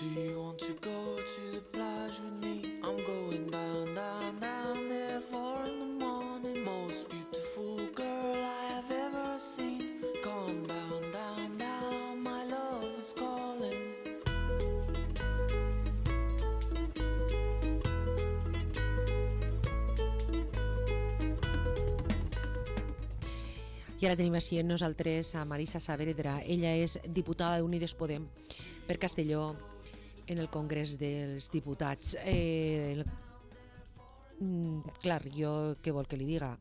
Do you want to go to the plage with me? I'm going down, down, down there 4 in the morning. Most beautiful girl I have ever seen. Come down, down, down, my love is calling. I ara tenim així amb nosaltres a Marisa Saavedra. Ella és diputada d'Unides Podem per Castelló en el Congrés dels Diputats. Clar, jo què vol que li diga?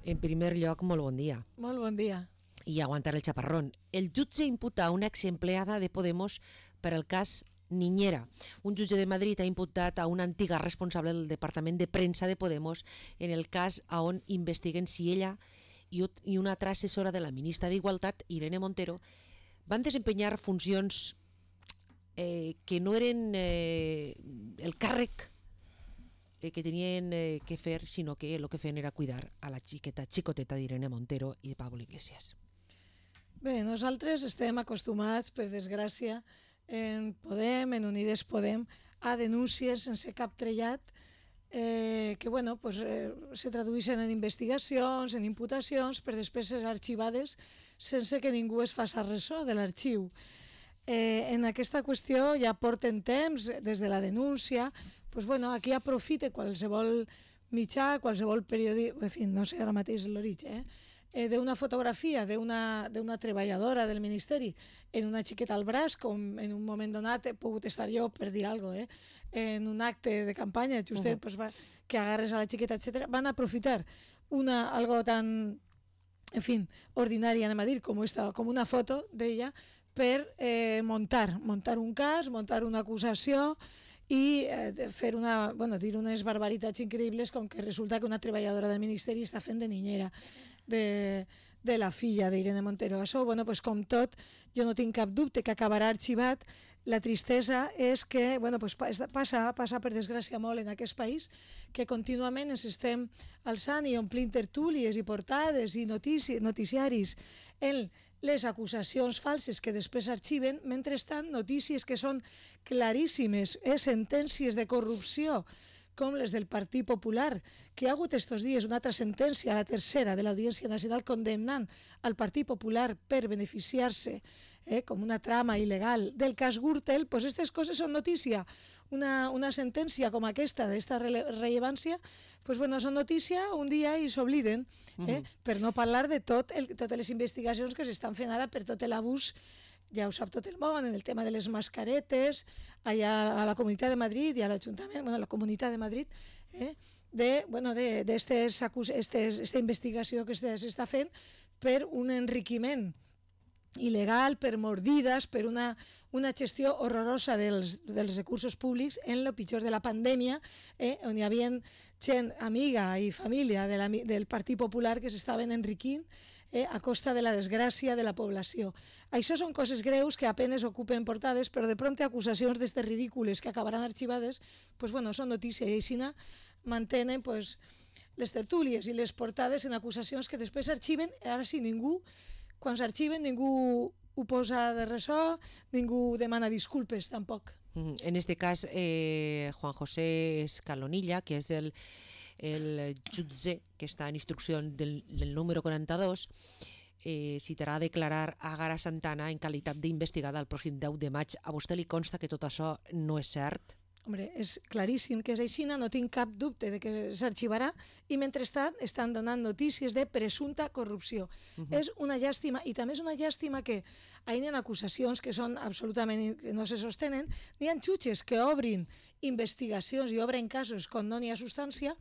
En primer lloc, molt bon dia. Molt bon dia. I aguantar el chaparrón. El jutge imputa a una exempleada de Podemos per el cas Niñera. Un jutge de Madrid ha imputat a una antiga responsable del Departament de Premsa de Podemos en el cas on investiguen si ella i una altra assessora de la ministra d'Igualtat, Irene Montero, van desempenyar funcions que no eren el càrrec que tenien que fer, sinó que el que feien era cuidar a la xicoteta d'Irene Montero i de Pablo Iglesias. Bé, nosaltres estem acostumats, per desgràcia, en Podem, en Unides Podem, a denúncies sense cap trellat que bueno, pues, se tradueixen en investigacions, en imputacions, per després ser arxivades sense que ningú es faci ressò de l'arxiu. En aquesta qüestió ja porten temps, des de la denúncia, pues, bueno, aquí aprofita qualsevol mitjà, qualsevol periodista, en fi, no sé ara mateix l'origen, d'una fotografia d'una treballadora del Ministeri en una xiqueta al braç, com en un moment donat he pogut estar jo, per dir alguna cosa, en un acte de campanya, justet, pues, que agarres a la xiqueta, etc. Van aprofitar algo tan, en fin, ordinari, anem a dir, com una foto d'ella, per muntar un cas, muntar una acusació i fer dir unes barbaritats increïbles, com que resulta que una treballadora del Ministeri està fent de niñera de la filla d'Irene Montero. Això, bueno, pues, com tot, jo no tinc cap dubte que acabarà arxivat. La tristesa és que, bueno, pues, passa per desgràcia molt en aquest país, que contínuament ens estem alçant i omplint tertúlies i portades i noticiaris en les acusacions falses que després arxiven, mentrestant notícies que són claríssimes, sentències de corrupció, com les del Partit Popular, que hi ha hagut estos dies una altra sentència, la tercera de l'Audiència Nacional, condemnant al Partit Popular per beneficiar-se com una trama il·legal del cas Gürtel. Pues aquestes coses són notícia. Una sentència com aquesta, d'esta rellevància, pues, bueno, són notícia un dia i s'obliden, per no parlar de totes les investigacions que s'estan fent ara per tot l'abús, ja ho sap tot el món, en el tema de les mascaretes, allà a la Comunitat de Madrid i a l'Ajuntament, bueno, a la Comunitat de Madrid, d'esta investigació que s'està fent per un enriquiment il·legal, per mordides, per una gestió horrorosa dels recursos públics en el pitjor de la pandèmia, on hi havia gent amiga i família del Partit Popular que s'estaven enriquint a costa de la desgràcia de la població. Això són coses greus que apenes ocupen portades, però de prompt acusacions d'estes ridícules que acabaran arxivades, pues, bueno, són notícia, i així mantenen, pues, les tertúlies i les portades en acusacions que després arxiven. Ara sí, quan s'arxiven ningú ho posa de ressò, ningú demana disculpes tampoc. En este cas, Juan José Escalonilla, que és el jutge que està en instrucció del número 42, citarà a declarar a Gara Santana en qualitat d'investigada el pròxim 10 de maig. A vostè li consta que tot això no és cert? Hombre, és claríssim que és així, no tinc cap dubte de que s'arxivarà, i mentrestant estan donant notícies de presumpta corrupció. És una llàstima, i també és una llàstima que hi ha acusacions que són absolutament que no se sostenen. Hi ha jutges que obrin investigacions i obren casos quan no n'hi ha substància,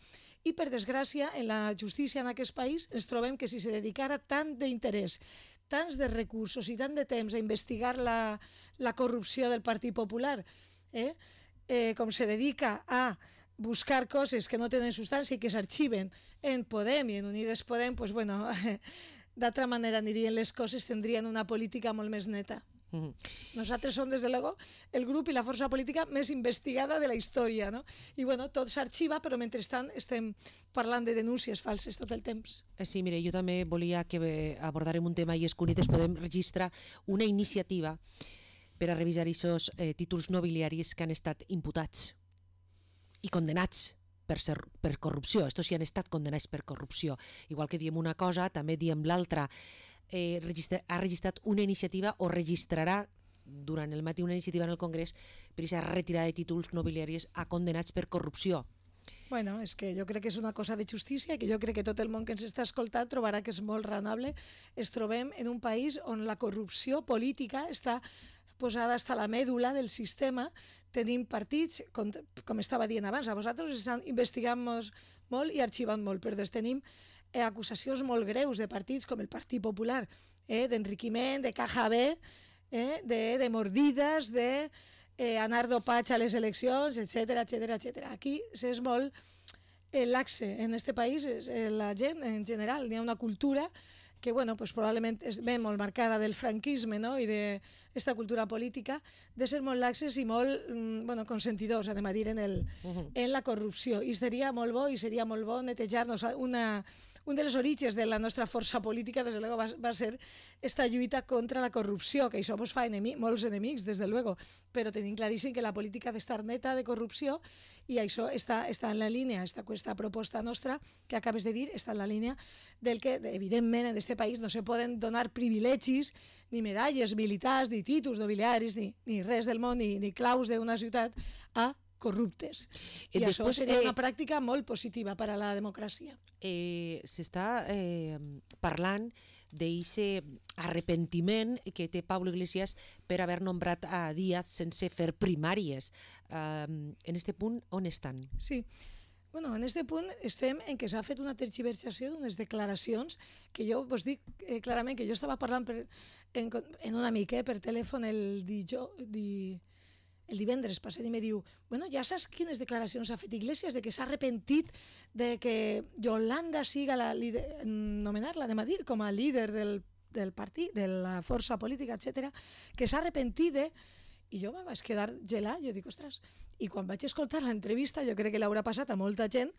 i per desgràcia en la justícia en aquest país ens trobem que si se dedicara tant d'interès, tants de recursos i tant de temps a investigar la corrupció del Partit Popular, com se dedica a buscar coses que no tenen substància i que s'arxiven en Podem i en Unides Podem, pues, bueno, d'altra manera anirien les coses, tindrien una política molt més neta. Nosaltres som, des de luego, el grup i la força política més investigada de la història, no? I bueno, tot s'arxiva, però mentrestant estem parlant de denúncies falses tot el temps. Sí, mire, jo també volia que abordàrem un tema, i és que Unides Podem registrar una iniciativa per a revisar aquests títols nobiliaris que han estat imputats i condenats per corrupció. Estos sí han estat condenats per corrupció. Igual que diem una cosa, també diem l'altra. Ha registrat una iniciativa o registrarà durant el matí una iniciativa en el Congrés per aquesta retirada de títols nobiliaris a condenats per corrupció. Bueno, és que jo crec que és una cosa de justícia, que jo crec que tot el món que ens està escoltant trobarà que és molt raonable. Es trobem en un país on la corrupció política està posada hasta la mèdula del sistema. Tenim partits, com estava dient abans, a vosaltres estan investigant molt i arxivant molt, però tenim acusacions molt greus de partits com el Partit Popular, d'enriquiment, de caja B, de mordides, anar dopats a les eleccions, etc. Aquí és molt laxe. En aquest país, la gent en general, hi ha una cultura que probablement ve molt marcada del franquisme, no? I d'aquesta cultura política de ser molt laxes i molt consentidors, anem a dir, en la corrupció. I seria molt bo netejar-nos. Un dels orígens de la nostra força política, des de luego, va ser esta lluita contra la corrupció, que això ens fa molts enemics, des de luego, però tenim claríssim que la política ha d'estar neta de corrupció i això està en la línia, aquesta proposta nostra que acabes de dir, està en la línia del que, evidentment, en aquest país no se poden donar privilegis, ni medalles militars, ni títols nobiliaris, ni res del món, ni claus d'una ciutat a corruptes. I això seria una pràctica molt positiva per a la democràcia. S'està parlant d'aquest arrepentiment que té Pablo Iglesias per haver nombrat a Díaz sense fer primàries. En aquest punt, on estan? Sí. En aquest punt estem en què s'ha fet una tergiversació d'unes declaracions que jo vos dic clarament que jo estava parlant en un amic per telèfon el divendres passat i me diu, ja saps quines declaracions ha fet Iglesias de que s'ha arrepentit de que Yolanda siga nomenar-la, anem a dir, com a líder del partit, de la força política, etc., que s'ha arrepentit de... I jo me vaig quedar gelat, jo dic, ostres, i quan vaig escoltar l'entrevista, jo crec que l'haurà passat a molta gent,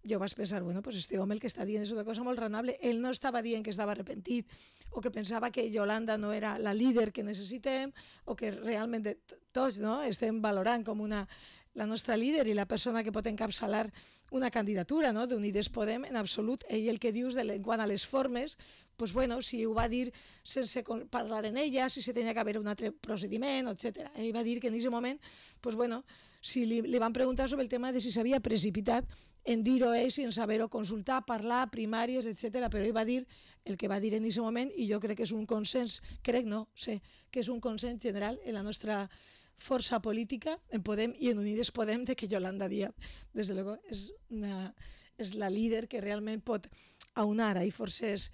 jo vaig pensar, este home el que està dient és una cosa molt raonable, ell no estava dient que estava arrepentit, o que pensava que Yolanda no era la líder que necessitem, o que realment tots estem valorant com la nostra líder i la persona que pot encapçalar una candidatura d'Unides Podem, en absolut. Ell el que dius en quant a les formes, si ho va dir sense parlar en ella, si se tenia que haver un altre procediment, etc. Ell va dir que en aquest moment, si li van preguntar sobre el tema de si s'havia precipitat en dir-ho ell sin saber-ho consultar, parlar, primàries, etc. Però ell va dir el que va dir en aquest moment i jo crec que és un consens, sé que és un consens general en la nostra força política, en Podem i en Unides Podem, de que Yolanda Díaz, des de luego, és la líder que realment pot aunar forces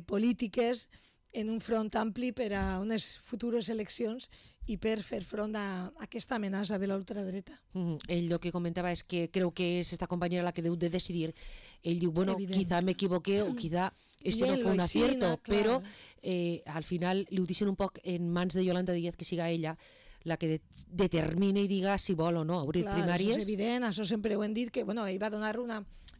polítiques en un front ampli per a unes futures eleccions i per fer front a aquesta amenaça de l'ultradreta. Ell el que comentava és que creu que és esta compañera la que deu de decidir. Ell diu, quizá me equivoqué o quizá este no fue un acierto, però al final li ho deixen un poc en mans de Yolanda Díaz, que siga ella la que determina i diga si vol o no obrir primàries. Això és evident, això sempre ho hem dit, que ell va donar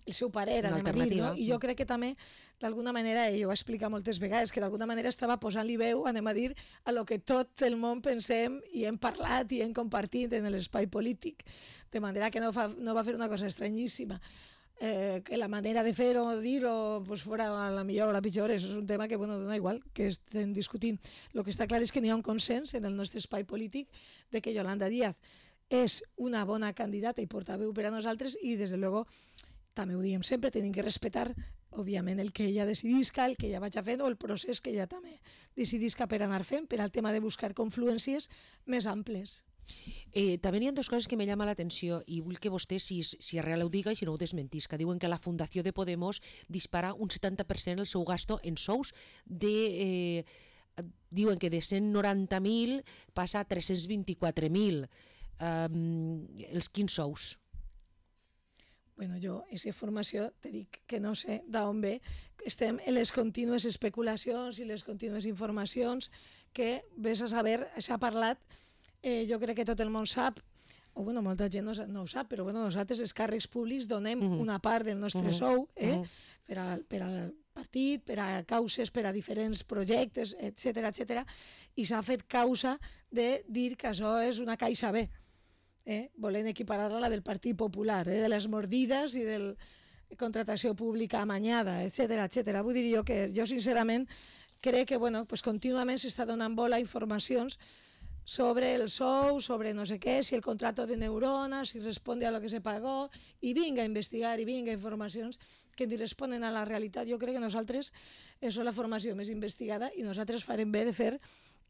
el seu parer, anem a dir, no? I jo crec que també, d'alguna manera, ell ho va explicar moltes vegades, que d'alguna manera estava posant-li veu, anem a dir, a lo que tot el món pensem i hem parlat i hem compartit en l'espai polític. De manera que no va fer una cosa estranyíssima. Que la manera de fer o dir-ho fora la millor o la pitjor, és un tema que dona igual que estem discutint. El que està clar és que n'hi ha un consens en el nostre espai polític de que Yolanda Díaz és una bona candidata i portaveu per a nosaltres i, des de luego, també ho diem sempre, tenim que respectar, òbviament, el que ella decidisca, el que ella vagi fent o el procés que ella també decidisca per anar fent, per al tema de buscar confluències més amples. També hi ha dues coses que me llama l'atenció i vull que vostè, si és real, ho diga i si no ho desmentís, que diuen que la Fundació de Podemos dispara un 70% el seu gasto en sous diuen que de 190.000 passa a 324.000. Els quins sous? Jo, aquesta informació, te dic que no sé d'on ve. Estem en les contínues especulacions i les contínues informacions que, vés a saber, s'ha parlat. Jo crec que tot el món sap, o molta gent no ho sap, però nosaltres, els càrrecs públics, donem una part del nostre sou per partit, per a causes, per a diferents projectes, etc, i s'ha fet causa de dir que això és una caixa B, volent equiparar-la a la del Partit Popular, de les mordides i de la contractació pública amanyada, etc. Vull dir que jo sincerament crec que pues contínuament s'està donant bola a informacions sobre el sou, sobre no sé què, si el contrato de Neurona, si responde a lo que se pagó, i vinga a investigar, i vinga informacions que ni responen a la realitat. Jo crec que nosaltres, això és la formació més investigada, i nosaltres farem bé de fer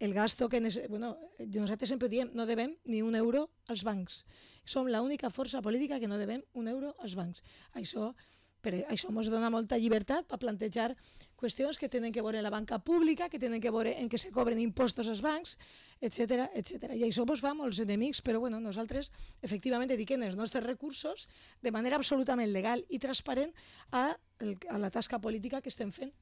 el gasto que... nosaltres sempre diem, no devem ni un euro als bancs. Som l'única força política que no devem un euro als bancs. Això ens dona molta llibertat per plantejar qüestions que tenen que veure en la banca pública, que tenen que veure en què se cobren impostos als bancs, etc. I això ens fa molts enemics, però nosaltres efectivament dediquem els nostres recursos de manera absolutament legal i transparent a la tasca política que estem fent.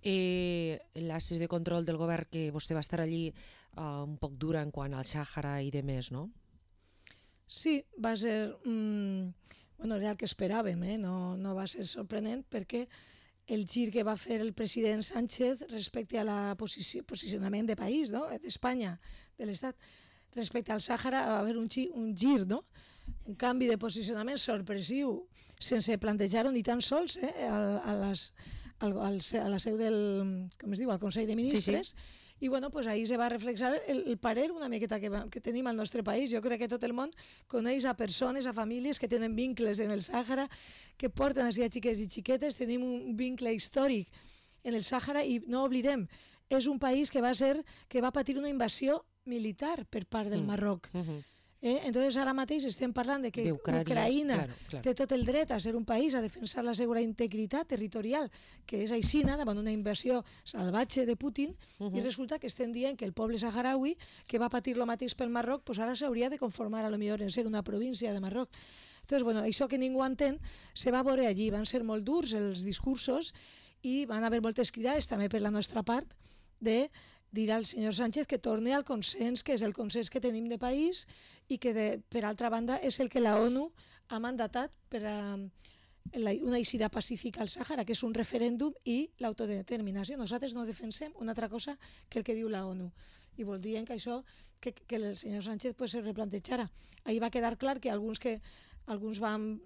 La sessió de control del govern, que vostè va estar allí un poc dura en quant al Sàhara i demés, no? Sí, va ser... era el que esperàvem, no va ser sorprenent, perquè el gir que va fer el president Sánchez respecte a la posicionament de país, d'Espanya, de l'Estat, respecte al Sàhara, va haver un gir, un canvi de posicionament sorpressiu, sense plantejar-ho ni tan sols a la seu del, al Consell de Ministres. Sí. I ahir se va reflexar el parer una miqueta que tenim al nostre país. Jo crec que tot el món coneix a persones, a famílies que tenen vincles en el Sàhara, que porten així a xiquets i xiquetes. Tenim un vincle històric en el Sàhara i no oblidem, és un país que va patir una invasió militar per part del Marroc. Entonces ara mateix estem parlant de que Ucraïna té tot el dret a ser un país, a defensar la seva integritat territorial, que és aixina davant una invasió salvatge de Putin, i resulta que estem dient que el poble saharaui, que va patir el mateix pel Marroc, ara s'hauria de conformar a lo millor en ser una província de Marroc. Entonces, això que ningú entén se va veure allí, van ser molt durs els discursos i van haver moltes cridades també per la nostra part de dir al senyor Sánchez que torni al consens, que és el consens que tenim de país i que, per altra banda, és el que la ONU ha mandatat per a una eixida pacífica al Sàhara, que és un referèndum i l'autodeterminació. Nosaltres no defensem una altra cosa que el que diu la ONU. I voldrien que això, que el senyor Sánchez se replantejara. Ahir va quedar clar que alguns van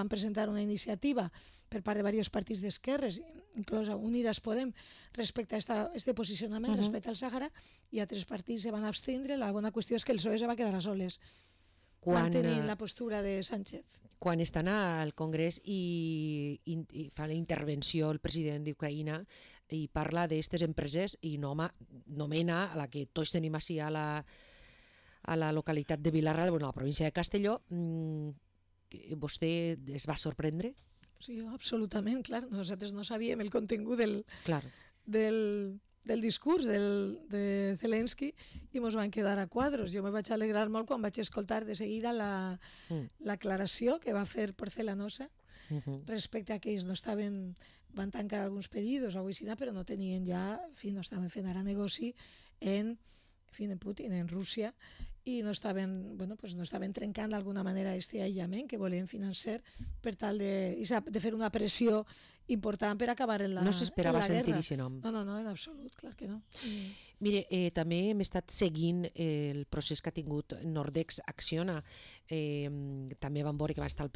presentar una iniciativa per part de diversos partits d'esquerres, inclosa Unidas Podem, respecte a aquest posicionament respecte al Sàhara, i altres partits se van abstindre. La bona qüestió és que el PSOE se va quedar a soles, mantenint la postura de Sánchez. Quan estan al Congrés i fa la intervenció el president d'Ucraïna i parla d'aquestes empreses i nomena a la que tots tenim així a la localitat de Vilarral, a la província de Castelló, vostè es va sorprendre? Sí, absolutament, clar. Nosaltres no sabíem el contingut del discurs de Zelensky i ens van quedar a quadros. Jo me vaig alegrar molt quan vaig escoltar de seguida l'aclaració que va fer Porcelanosa respecte a que ells van tancar alguns pedidos a Oixina, però no tenien ja, no estaven fent ara negoci en Putin, en Rússia, i no estaven trencant d'alguna manera aquest aïllament que volien finançar per tal de fer una pressió important per acabar en la guerra. No s'esperava sentir aquest nom. No, en absolut, clar que no. Mire, també hem estat seguint el procés que ha tingut Nordex Acciona. També vam veure que va estar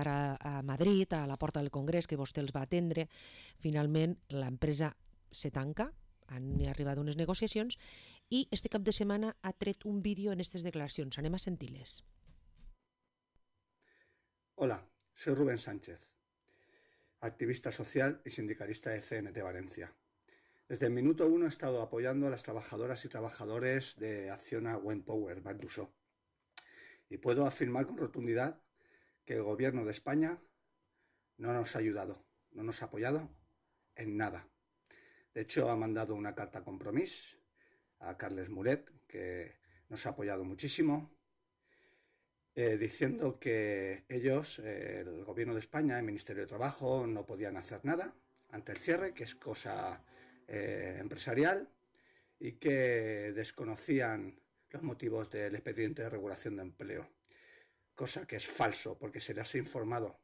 a Madrid, a la porta del Congrés, que vostè els va atendre. Finalment, l'empresa se tanca, han arribat unes negociacions, i este cap de setmana ha tret un vídeo en aquestes declaracions. Anem a sentir-les. Hola, soy Rubén Sánchez, activista social y sindicalista de CNT Valencia. Desde el minuto 1 he estado apoyando a las trabajadoras y trabajadores de Acciona Windpower, Valduso. Y puedo afirmar con rotundidad que el gobierno de España no nos ha ayudado, no nos ha apoyado en nada. De hecho, ha mandado una carta compromiso a Carles Muret, que nos ha apoyado muchísimo, diciendo que ellos, el gobierno de España, el Ministerio de Trabajo, no podían hacer nada ante el cierre, que es cosa empresarial, y que desconocían los motivos del expediente de regulación de empleo, cosa que es falso, porque se les ha informado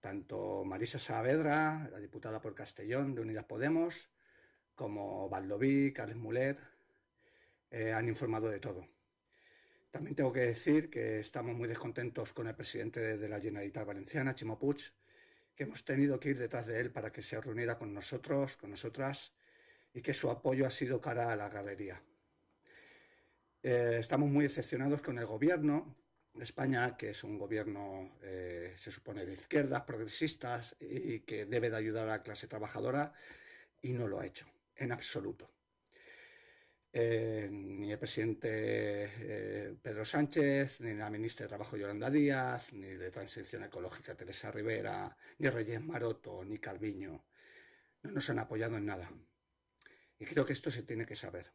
Tanto Marisa Saavedra, la diputada por Castellón de Unidas Podemos, como Baldoví, Carles Mulet, han informado de todo. También tengo que decir que estamos muy descontentos con el presidente de la Generalitat Valenciana, Ximo Puig, que hemos tenido que ir detrás de él para que se reuniera con nosotros, con nosotras, y que su apoyo ha sido cara a la galería. Estamos muy decepcionados con el gobierno de España, que es un gobierno, se supone, de izquierdas, progresistas, y que debe de ayudar a la clase trabajadora, y no lo ha hecho, en absoluto. Ni el presidente Pedro Sánchez, ni la ministra de Trabajo Yolanda Díaz, ni de Transición Ecológica Teresa Rivera, ni Reyes Maroto, ni Calviño, no nos han apoyado en nada. Y creo que esto se tiene que saber.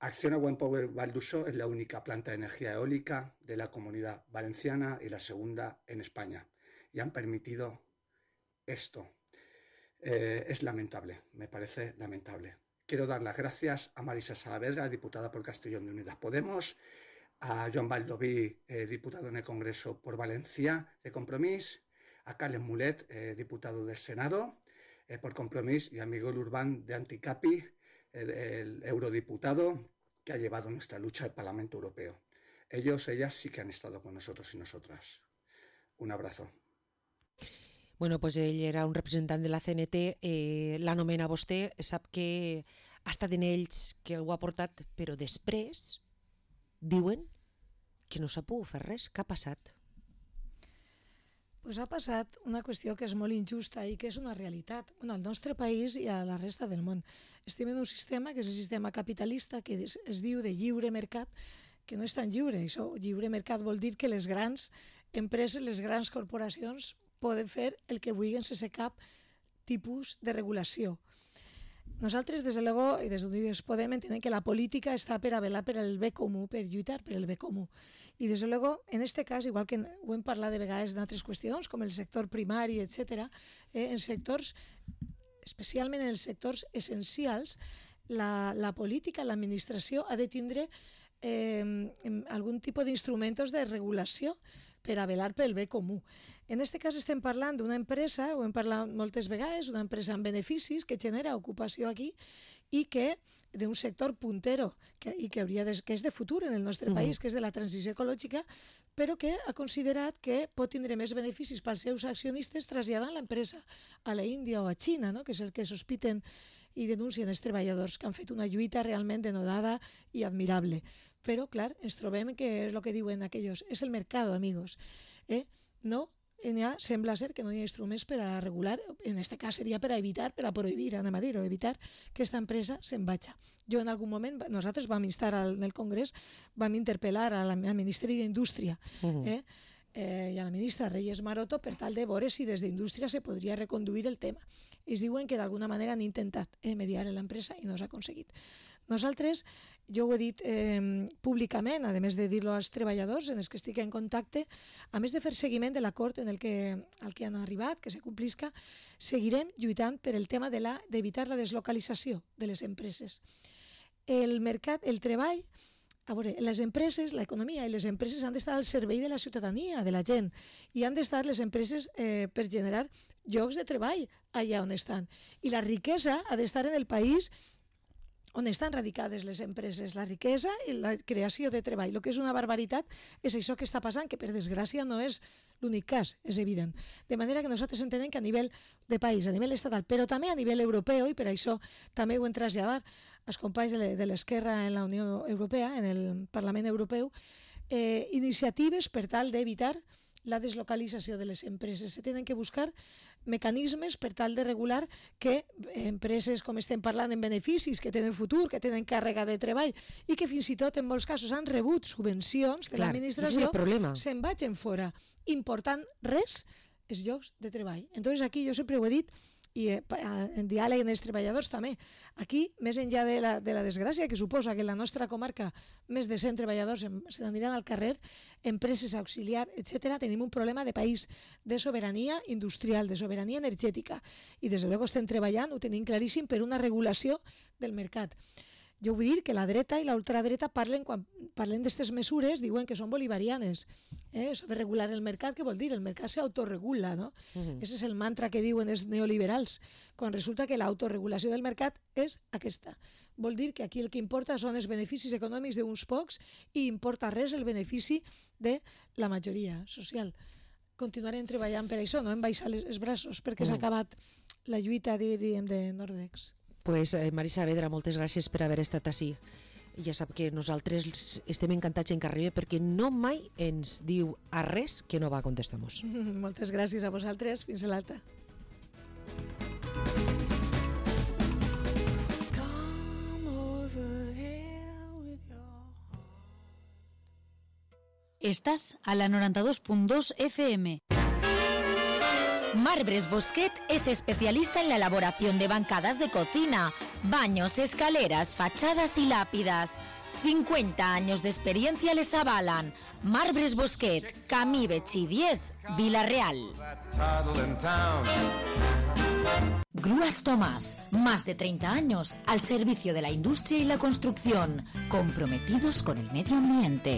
Acciona Wind Power Val d'Uixó es la única planta de energía eólica de la Comunidad Valenciana y la segunda en España. Y han permitido esto. Es lamentable, me parece lamentable. Quiero dar las gracias a Marisa Saavedra, diputada por Castellón de Unidas Podemos, a Joan Baldoví, diputado en el Congreso por Valencia de Compromís, a Carles Mulet, diputado del Senado por Compromís, y a Miguel Urbán de Anticapi, el eurodiputado que ha llevado nuestra lucha al Parlamento Europeo. Ellos, ellas sí que han estado con nosotros y nosotras. Un abrazo. Bueno, pues ell era un representant de la CNT, l'anomena vostè, sap que ha estat en ells que ho ha portat, però després diuen que no s'ha pogut fer res. Què ha passat? Pues ha passat una qüestió que és molt injusta i que és una realitat. Bueno, al nostre país i a la resta del món. Estem en un sistema que és el sistema capitalista, que es diu de lliure mercat, que no és tan lliure. Això, lliure mercat vol dir que les grans empreses, les grans corporacions poden fer el que vulguin sense cap tipus de regulació. Nosaltres, des de luego, i des d'Unides Podem, entenem que la política està per a velar per el bé comú, per lluitar per el bé comú. I, des de luego, en aquest cas, igual que ho hem parlat de vegades d'altres qüestions, com el sector primari, etc., en sectors, especialment en els sectors essencials, la política, l'administració ha de tindre algun tipus d'instruments de regulació per a velar pel bé comú. En aquest cas estem parlant d'una empresa, ho hem parlat moltes vegades, una empresa amb beneficis que genera ocupació aquí i que d'un sector puntero que és de futur en el nostre país, que és de la transició ecològica, però que ha considerat que pot tindre més beneficis pels seus accionistes traslladant l'empresa a la Índia o a Xina, no? Que és el que sospiten i denuncien els treballadors, que han fet una lluita realment denodada i admirable. Però, clar, ens trobem que és el que diuen aquells, és el mercat, amigos. No, sembla ser que no hi ha instruments per a regular, en aquest cas seria per a evitar, per a prohibir, anem a dir, o evitar que aquesta empresa se'n vagi. Jo en algun moment, nosaltres vam instar en el Congrés, vam interpel·lar al Ministeri d'Indústria i a la ministra Reyes Maroto per tal de veure si des d'Indústria se podria reconduir el tema. Ells diuen que d'alguna manera han intentat mediar en l'empresa i no s'ha aconseguit. Nosaltres, jo ho he dit públicament, a més de dir-lo als treballadors en els que estic en contacte, a més de fer seguiment de l'acord al que han arribat, que se complisca, seguirem lluitant per el tema d'evitar la deslocalització de les empreses. El mercat, el treball, a veure, les empreses, l'economia i les empreses han d'estar al servei de la ciutadania, de la gent, i han d'estar les empreses per generar llocs de treball allà on estan. I la riquesa ha d'estar en el país on estan radicades les empreses, la riquesa i la creació de treball. El que és una barbaritat és això que està passant, que per desgràcia no és l'únic cas, és evident. De manera que nosaltres entenem que a nivell de país, a nivell estatal, però també a nivell europeu, i per això també ho hem traslladat als companys de l'esquerra en la Unió Europea, en el Parlament Europeu, iniciatives per tal d'evitar la deslocalització de les empreses. Se tenen que buscar mecanismes per tal de regular que empreses, com estem parlant, en beneficis, que tenen futur, que tenen càrrega de treball i que fins i tot en molts casos han rebut subvencions de l'administració, se'n vagin fora, important res els llocs de treball. Entonces aquí jo sempre ho he dit, i en diàleg amb els treballadors també. Aquí, més enllà de la desgràcia que suposa que en la nostra comarca més de 100 treballadors se n'aniran al carrer, empreses auxiliar, etc., tenim un problema de país, de sobirania industrial, de sobirania energètica. I des de luego estem treballant, ho tenim claríssim, per una regulació del mercat. Jo vull dir que la dreta i la ultradreta quan parlen d'aquestes mesures diuen que són bolivarianes. Això de regular el mercat, què vol dir? El mercat s'autoregula, no? Ese és el mantra que diuen els neoliberals, quan resulta que l'autoregulació del mercat és aquesta. Vol dir que aquí el que importa són els beneficis econòmics d'uns pocs i importa res el benefici de la majoria social. Continuarem treballant per això, no em baixar els braços, perquè s'ha acabat la lluita, diríem, de Nordex. Pues Mari Saavedra, moltes gràcies per haver estat ací. Ja sap que nosaltres estem encantats en que arribi perquè no mai ens diu a res que no va contestar-nos. Moltes gràcies a vosaltres. Fins a l'altra. Estás a la 92.2 FM. Marbres Bosquet es especialista en la elaboración de bancadas de cocina, baños, escaleras, fachadas y lápidas. 50 años de experiencia les avalan. Marbres Bosquet, Camí Betxí 10, Vila-real. Grúas Tomás, más de 30 años al servicio de la industria y la construcción, comprometidos con el medio ambiente.